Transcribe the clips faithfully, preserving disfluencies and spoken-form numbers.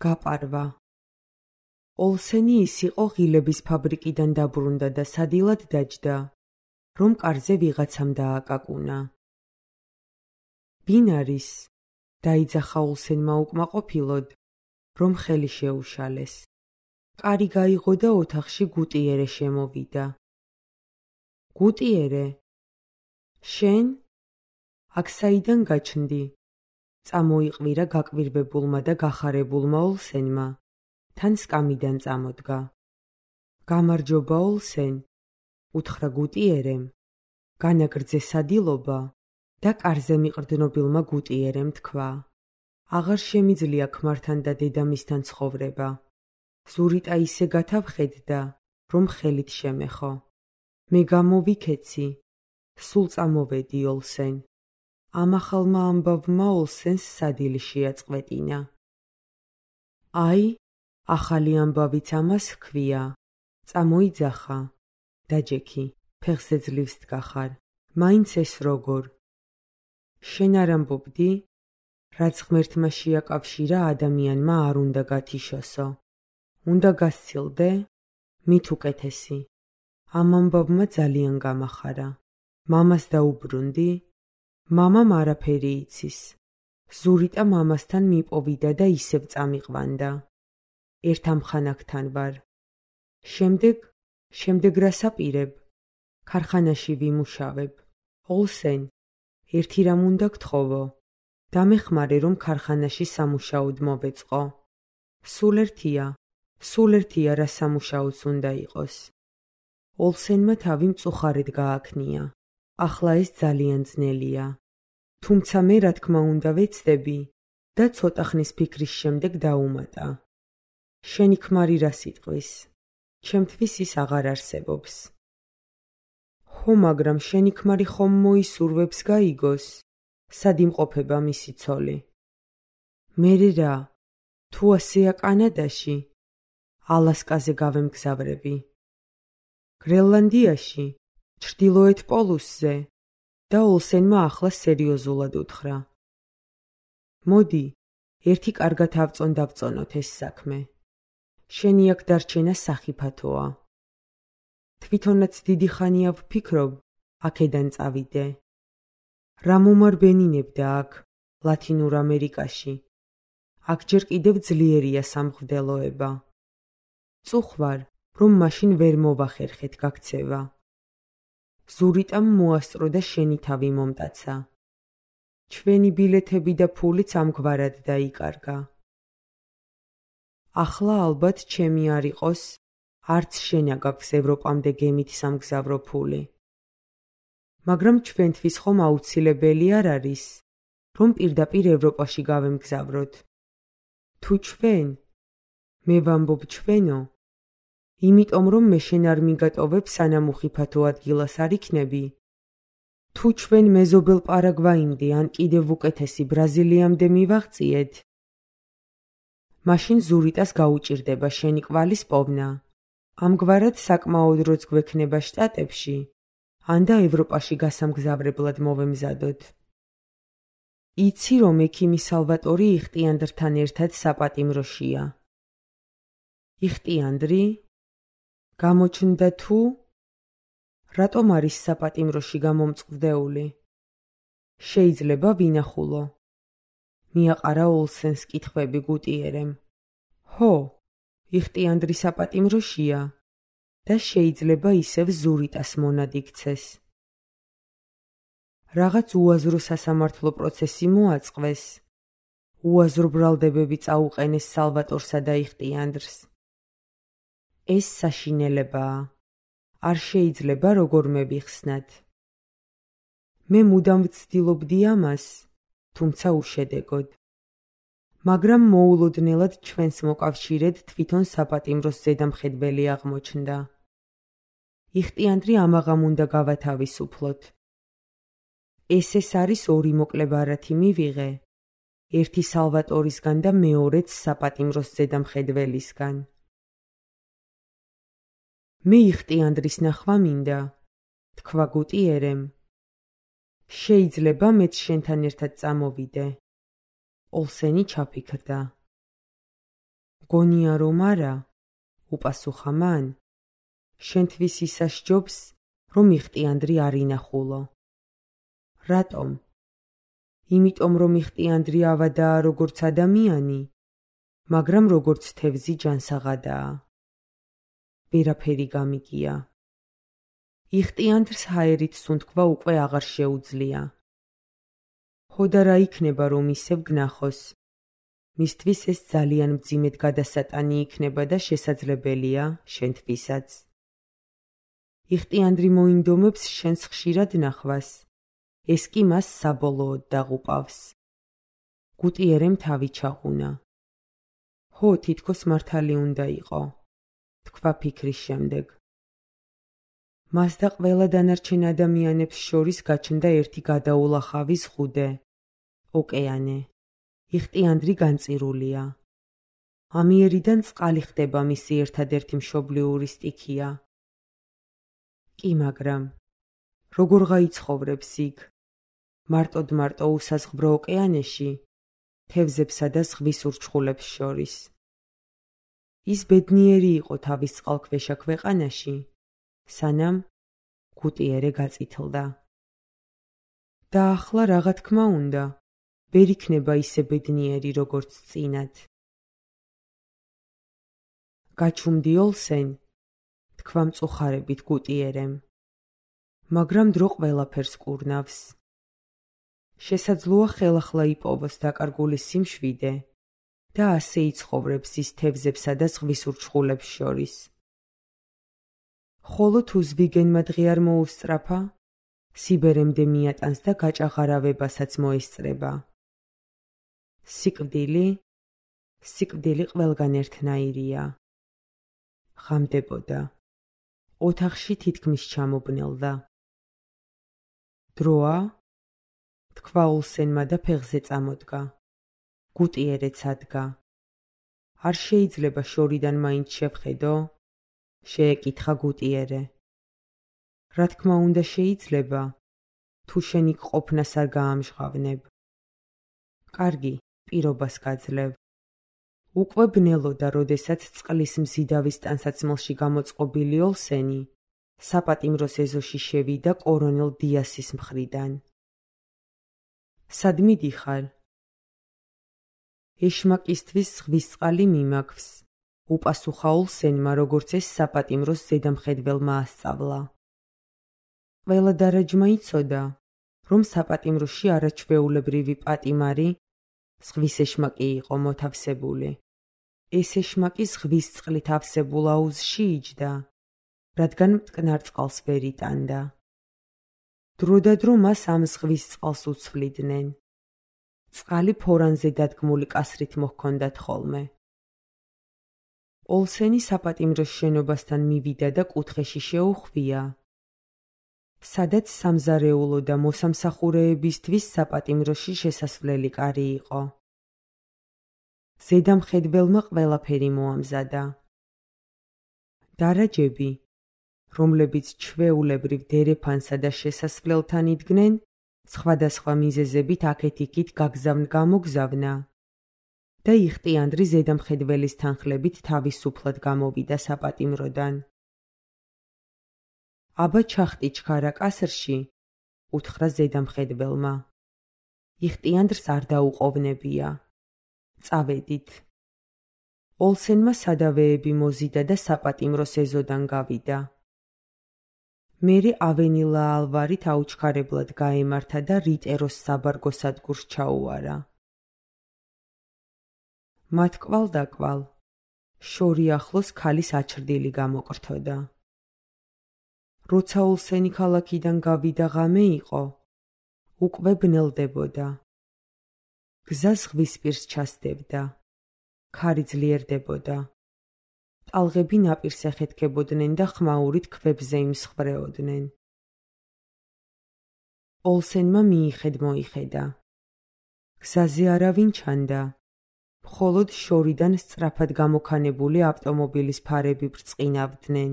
გაპარვა. ოლსენი ის იყო ღილების ფაბრიკიდან დაბრუნდა და სადილად დაჯდა, რომ კარზე ვიღაცამ დააკაკუნა. ვინ არის? დაიძახა ოლსენმა უკმაყოფილოდ, რომ ხელი შეუშალეს. კარი გაიღო და ოთახში გუტიერე შემოვიდა. გუტიერე, შენ? აქ საიდან გაჩნდი? წამოიყვირა გაკვირვებულმა და გახარებულმა ოლსენმა, თან სკამიდან წამოდგა. გამარჯობა ოლსენ, უთხრა გუტიერემ, განაგრძე სადილობა და კარზე მიყრდნობილმა გუტიერემ თქვა. აღარ შემიძლია ქმართან და დედამისთან ცხოვრება. ზურიტა ისე გათავხედდა, რომ ხელით შემეხო. მე გამოვიქეცი, სულ წამოვედი ოლსენ. ამ ახალმა ამბავმა ოლსენს სადილი შეაწყვეტინა. აი, ახალი ამბავიც ამას ჰქვია. წამოიძახა. დაჯექი, ფეხზე ძლივს დგახარ. მაინც ეს როგორ? შენ არ ამბობდი? რაც ღმერთმა შეაკავშირა, ადამიანმა არ უნდა გათიშოსო. უნდა გასცილდე? მით უკეთესი. ამ ამბავმა ძალიან გამახარა. მამას დაუბრუნდი? მამამ არაფერი იცის. ზურიტა მამასთან მიპოვიდა და ისევ წამიყვანდა. ერთ ამხანაგთან ვარ. შემდეგ, შემდეგ რას აპირებ? ქარხანაში ვიმუშავებ. ოლსენ, ერთი რამ უნდა გთხოვო. დამეხმარე, რომ ქარხანაში სამუშაოდ მოვეწყო. სულ ერთია, სულ ერთია რა სამუშაოც უნდა იყოს. ოლსენმა თავი მწუხარედ გააქნია. ახლა ეს ძალიან ძნელია. თუმცა მე რა თქმა უნდა ვეცდები და ცოტა ხნის ფიქრის შემდეგ დაუმატა. შენი ქმარი რა სიტყვის? ჩემთვის ის აღარ არსებობს. ხო, მაგრამ შენი ქმარი ხომ მოისურვებს გაიგოს? სად იმყოფება მისი ცოლი? მერე რა? თუ ასეა კანადაში, ალასკაზე გავემგზავრები. გრენლანდიაში, ჩრდილოეთ პოლუსზე და ოლსენმა ახლა სერიოზულად უთხრა. მოდი, ერთი კარგად ავწონ დავწონოთ ეს საქმე. შენი აქ დარჩენა სახიფათოა. თვითონაც დიდი ხანია ვფიქრობ, აქედან წავიდე. რა მომარბენინებდა აქ, ლათინურ ამერიკაში. აქ ჯერ კიდევ ძლიერია სამღვდელოება. წუხვარ, რომ მაშინ ვერ მოვახერხეთ გაქცევა. ზურიტამ მოასწრო და შენი თავი მომტაცა. ჩვენი ბილეთები და ფულიც ამგვარად დაიკარგა. ახლა ალბათ ჩემი არ იყოს, არც შენა გაქვს ევროპამდე გემით სამგზავრო ფული. მაგრამ ჩვენთვის ხომ აუცილებელი არ არის, რომ პირდაპირ ევროპაში გავემგზავროთ. თუ ჩვენ, მე ვამბობ ჩვენო, იმიტომ რომ მე შენ არ მიგატოვებ სანამ უხიფათო ადგილას არ იქნები. თუ ჩვენ მეზობელ პარაგვაიმდე ან კიდევ უკეთესი ბრაზილიამდე მივაღწიეთ, მაშინ ზურიტას გაუჭირდება შენი კვალის პოვნა. ამგვარად საკმაოდ როც გვექნება შტატებში, ან და ევროპაში გასამგზავრებლად მოვემზადოთ. იცი რომ ექიმი სალვატორი იხტიანდრთან ერთად საპატიმროშია. იხტიანდრი? გამოჩნდა თუ? რატომ არის საპატიმროში გამომწყვლეული? შეიძლება ვინახულო. მიაყარა ოლსენს კითხვები გუტიერემ. ჰო, იხტიანდრი საპატიმროშია და შეიძლება ისევ ზურიტას მონად იქცეს. რაღაც უაზრო სასამართლო პროცესი მოაწყვეს. უაზრო ბრალდებები წაუყენეს სალვატორსა და იხტიანდრს. ეს საშინელებაა. არ შეიძლება როგორმე ვიხსნათ. მე მუდამ ვცდილობდი ამას, თუმცა უშედეგოდ. მაგრამ მოულოდნელად ჩვენს მოკავშირედ თვითონ საპატიმროს ზედამხედველი აღმოჩნდა. იხტიანდრი ამაღამ უნდა გავათავისუფლოთ. ეს ეს არის ორი მოკლე ბარათი მივიღე, ერთი სალვატორისგან და მეორეც საპატიმროს ზედამხედველისგან. მე იხტიანდრის ნახვა მინდა, თქვა გუტიერემ. შეიძლება მეც შენთან ერთად წამოვიდე. ოლსენი ჩაფიქრდა. მგონია რომ არა, უპასუხა მან. შენთვის ისა სჯობს, რომ იხტიანდრი არ ინახულო. რატომ? იმიტომ რომ იხტიანდრი ავადაა როგორც ადამიანი, მაგრამ როგორც თევზი ჯანსაღადაა. ვერაფერი გამიგია. იხტიანდრს ჰაერით სუნთქვა უკვე აღარ შეუძლია. ხო და რა იქნება რომ ისევ გნახოს? მისთვის ეს ძალიან მძიმედ გადასატანი იქნება და შესაძლებელია შენთვისაც. იხტიანდრი მოინდომებს შენს ხშირად ნახვას. ეს კი მას საბოლოოდ დაღუპავს. გუტიერემ თავი ჩაღუნა. ხო, თითქოს მართალი უნდა იყო, თქვა ფიქრის შემდეგ. მას და ყველა დანარჩენ ადამიანებს შორის გაჩნდა ერთი გადაულახავი ზღუდე, ოკეანე. იხტიანდრი განწირულია. ამიერიდან წყალი ხდება მისი ერთადერთი მშობლიური სტიქია. კი, მაგრამ როგორ გაიცხოვრებს იქ? მარტოდ მარტო უსაზღბრო ოკეანეში, თევზებსა და ზღვის ურჩხულებს შორის. ის ბედნიერი იყო თავის წყალქვეშა ქვეყანაში, სანამ გუტიერე გაწითლდა. და ახლა რაღა თქმა უნდა, ვერ იქნება ისე ბედნიერი როგორც წინათ. გაჩუმდი ოლსენ, თქვა მწუხარებით გუტიერემ. მაგრამ დრო ყველაფერს კურნავს. შესაძლოა ხელახლა იპოვოს დაკარგული სიმშვიდე და ასე იცხოვრებს ის თევზებსა და ზღვის ურჩხულებს შორის. ხოლო თუ ზვიგენმა დღე არ მოუსწრაფა, სიბერემდე მიატანს და გაჭაღარავებასაც მოესწრება. სიკვდილი, სიკვდილი ყველგან ერთნაირია. ღამდებოდა. ოთახში თითქმის ჩამობნელდა. დროა? თქვა ოლსენმა და ფეხზე წამოდგა. გუტიერეც ადგა. არ შეიძლება შორიდან მაინც შევხედო? შეეკითხა გუტიერე. რა თქმა უნდა შეიძლება, თუ შენ იქ ყოფნას არ გაამჟღავნებ. კარგი, პირობას გაძლევ. უკვე ბნელოდა, როდესაც წყლის მზიდავის ტანსაცმელში გამოწყობილი ოლსენი საპატიმროს ეზოში შევიდა კორონელ დიასის მხრიდან. სად მიდიხარ? ეშმაკისთვის ზღვის წყალი მიმაქვს, უპასუხა ოლსენმა, როგორც ეს საპატიმროს ზედამხედველმა ასწავლა. ყველა დარაჯმა იცოდა, რომ საპატიმროში არაჩვეულებრივი პატიმარი, ზღვის ეშმაკი იყო მოთავსებული. ეს ეშმაკი ზღვის წყლით ავსებულ აუზში იჯდა, რადგან მტკნარ წყალს ვერ იტანდა. დრო და დრო მას ამ ზღვის წყალს უცვლიდნენ. წყალი ფორანზე დადგმული კასრით მოჰქონდათ ხოლმე. ოლსენი საპატიმროს შენობასთან მივიდა და კუთხეში შეუხვია, სადაც სამზარეულო და მოსამსახურეებისთვის საპატიმროში შესასვლელი კარი იყო. ზედამხედველმა ყველაფერი მოამზადა. დარაჯები, რომლებიც ჩვეულებრივ დერეფანსა და შესასვლელთან იდგნენ, სხვადასხვა მიზეზებით აქეთ-იქით გაგზავნ-გამოგზავნა და იხტიანდრი ზედამხედველის თანხლებით თავისუფლად გამოვიდა საპატიმროდან. აბა ჩახტი ჩქარა კასრში, უთხრა ზედამხედველმა. იხტიანდრს არ დაუყოვნებია. წავედით. ოლსენმა სადავეები მოზიდა და საპატიმროს ეზოდან გავიდა. მერე ავენილა ალვარით აუჩქარებლად გაემართა და რიტეროს საბარგო სადგურს ჩაუარა. მათ კვალ-დაკვალ, შორი ახლოს ქალის აჩრდილი გამოკრთოდა. როცა ოლსენი ქალაქიდან გავიდა ღამე იყო, უკვე ბნელდებოდა. გზა ზღვისპირს ჩასდებდა. ქარი ძლიერდებოდა. ტალღები ნაპირს ეხეთქებოდნენ და ხმაურით ქვებზე იმსხვრეოდნენ. ოლსენმა მიიხედ-მოიხედა. გზაზე არავინ ჩანდა. მხოლოდ შორიდან სწრაფად გამოქანებული ავტომობილის ფარები ბრწყინავდნენ.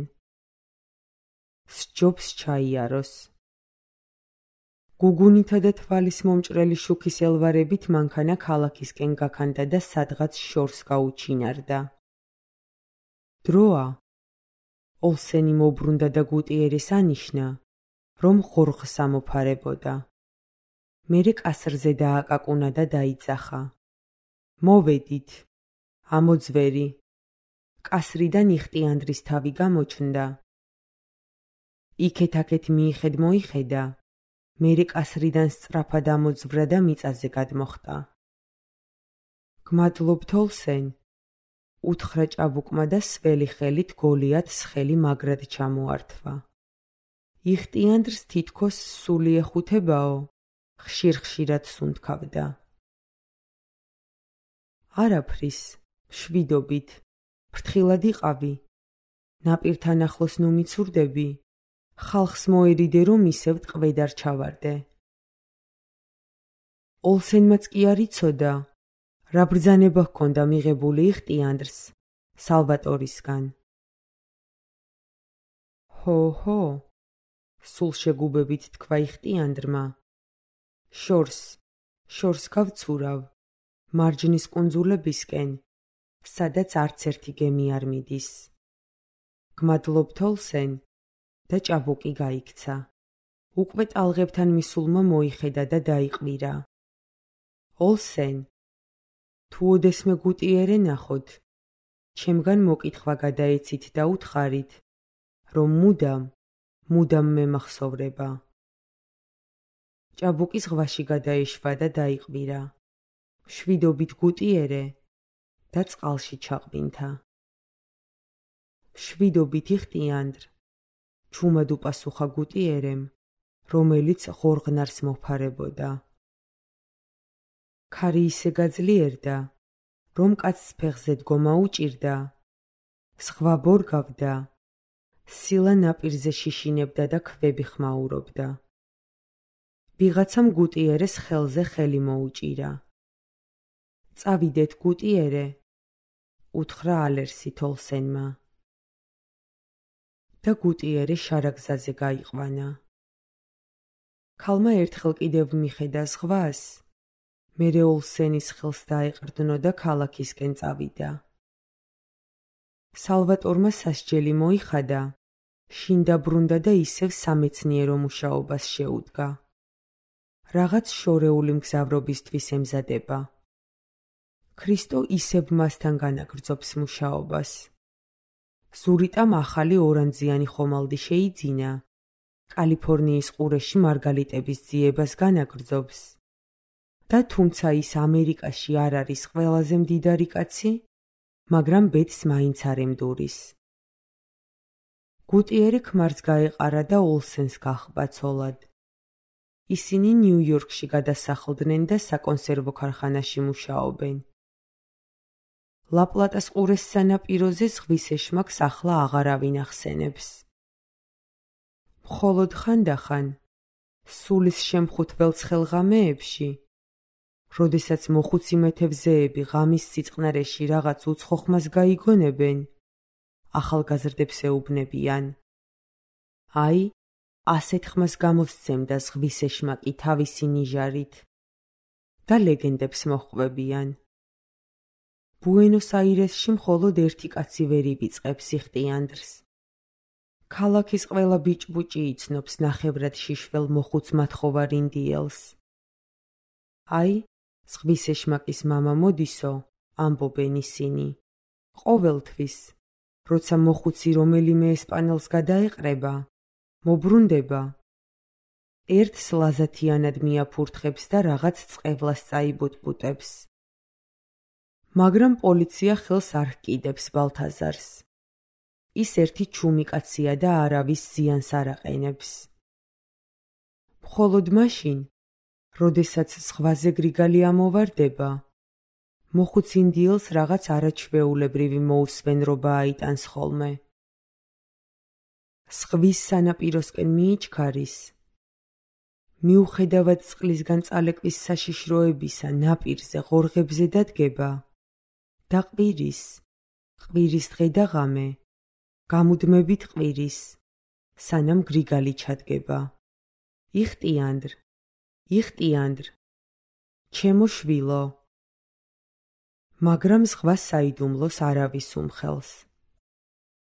სჯობს ჩაიაროს. გუგუნითა და თვალის მომჭრელი შუქის ელვარებით მანქანა ქალაქისკენ გაქანდა და სადღაც შორს გაუჩინარდა. დროა. ოლსენი მოbrუნდა და გუტიერეს ანიშნა, რომ ღორღს ამოფარებოდა. მერე კასრზე დააკაკუნა და დაიძახა. მოვედით. ამოძვერი. კასრიდან იხტიანდრის თავი გამოჩნდა. იქეთ-აქეთ მიიხედ მოიხედა, მერე კასრიდან სწრაფად ამოძვრა და მიწაზე გადმოხტა. გმადლობთ ოლსენ, უთხრა ჭაბუკმა და სველი ხელით გოლიათს ხელი მაგრად ჩამოართვა. იხტიანდრს თითქოს სული ეხუთებაო, ხშირ-ხშირად სუნთქავდა. არაფრის, მშვიდობით, ფრთხილად იყავი. ნაპირთან ახლოს ნუ მიცურდები, ხალხს მოერიდე, რომ ისევ ტყვედ არ ჩავარდე. ოლსენმაც კი არ იცოდა, რა ბრძანება ჰქონდა მიღებული იხტიანდრს სალვატორისგან. ჰო-ჰო, სულ შეგუბებით თქვა იხტიანდრმა. შორს, შორს გავცურავ, მარჯნის კუნძულებისკენ, სადაც არც ერთი გემი არ მიდის. გმადლობთ ოლსენ და ჭაბუკი გაიქცა. უკვე ტალღებთან მისულმა მოიხედა და დაიყვირა. ოლსენ, თუ ოდესმე გუტიერე ნახოთ, ჩემგან მოკითხვა გადაეცით და უთხარით, რომ მუდამ, მუდამ მემახსოვრება. ჭაბუკი ზღვაში გადაეშვა და დაიყვირა. მშვიდობით გუტიერე და წყალში ჩაყვინთა. მშვიდობით იხტიანდრ, ჩუმად უპასუხა გუტიერემ, რომელიც ღორღნარს მოფარებოდა. ქარი ისე გაძლიერდა, რომ კაცს ფეხზე დგომა უჭირდა, ზღვა ბორგავდა, სილა ნაპირზე შიშინებდა და ქვები ხმაურობდა. ვიღაცამ გუტიერეს ხელზე ხელი მოუჭირა. წავიდეთ გუტიერე, უთხრა ალერსით ოლსენმა. და გუტიერე შარაგზაზე გაიყვანა. ქალმა ერთხელ კიდევ მიხედა ზღვას, მერე ოლსენის ხელს დაეყრდნო და ქალაქისკენ წავიდა. სალვატორმა სასჯელი მოიხადა, შინ დაბრუნდა და ისევ სამეცნიერო მუშაობას შეუდგა. რაღაც შორეული მგზავრობისთვის ემზადება. ქრისტო ისევ მასთან განაგრძობს მუშაობას. ზურიტამ ახალი ორანძიანი ხომალდი შეიძინა, კალიფორნიის ყურეში მარგალიტების ძიებას განაგრძობს. და თუმცა ის ამერიკაში არ არის ყველაზე მდიდარი კაცი, მაგრამ ბედს მაინც არ ემდურის. გუტიერე ქმარს გაეყარა და ოლსენს გახბა ცოლად. ისინი ნიუ-იორკში გადასახლდნენ და საკონსერვო ქარხანაში მუშაობენ. ლა-პლატას ყურეს სანაპიროზე ზღვის ეშმაკს ახლა აღარავინ ახსენებს. მხოლოდ ხანდახან, სულის შემხუთველ ცხელღამეებში, როდესაც მოხუცი მეთევზეები ღამის სიწყნარეში რაღაც უცხო ხმას გაიგონებენ, ახალგაზრდებს ეუბნებიან. აი, ასეთ ხმას გამოსცემდა ზღვის ეშმაკი თავისი ნიჟარით და ლეგენდებს მოჰყვებიან. ბუენოს-აირესში მხოლოდ ერთი კაცი ვერ ივიწყებს იხტიანდრს. ქალაქის ყველა ბიჭბუჭი იცნობს ნახევრად შიშվել მოხუც მათხოვარ ინდიელს. აი, ზღვის ეშმაკის მამა მოდისო, ამბობენ ისინი. ყოველთვის, როცა მოხუცი რომელიმე ესპანელს გადაეყრება, მოbrunდება. ერთს ლაზათიანად მიაფურთხებს და რაღაც წყევლას წაიბუტბუტებს. მაგრამ პოლიცია ხელს არ ჰკიდებს ბალთაზარს. ის ერთი ჩუმი კაცია და არავის ზიანს არ აყენებს. მხოლოდ მაშინ, როდესაც ზღვაზე გრიგალი ამოვარდება, მოხუც ინდიელს რაღაც არაჩვეულებრივი მოუსვენრობა აიტანს ხოლმე. ზღვის სანაპიროსკენ მიიჩქარის. მიუხედავად წყლისგან წალეკვის საშიშროებისა ნაპირზე ღორღებზე დადგება და ყვირის, ყვირის დღე და ღამე, გამუდმებით ყვირის, სანამ გრიგალი ჩადგება. იხტიანდრ, იხტიანდრ, ჩემო შვილო. მაგრამ ზღვა საიდუმლოს არავის უმხელს.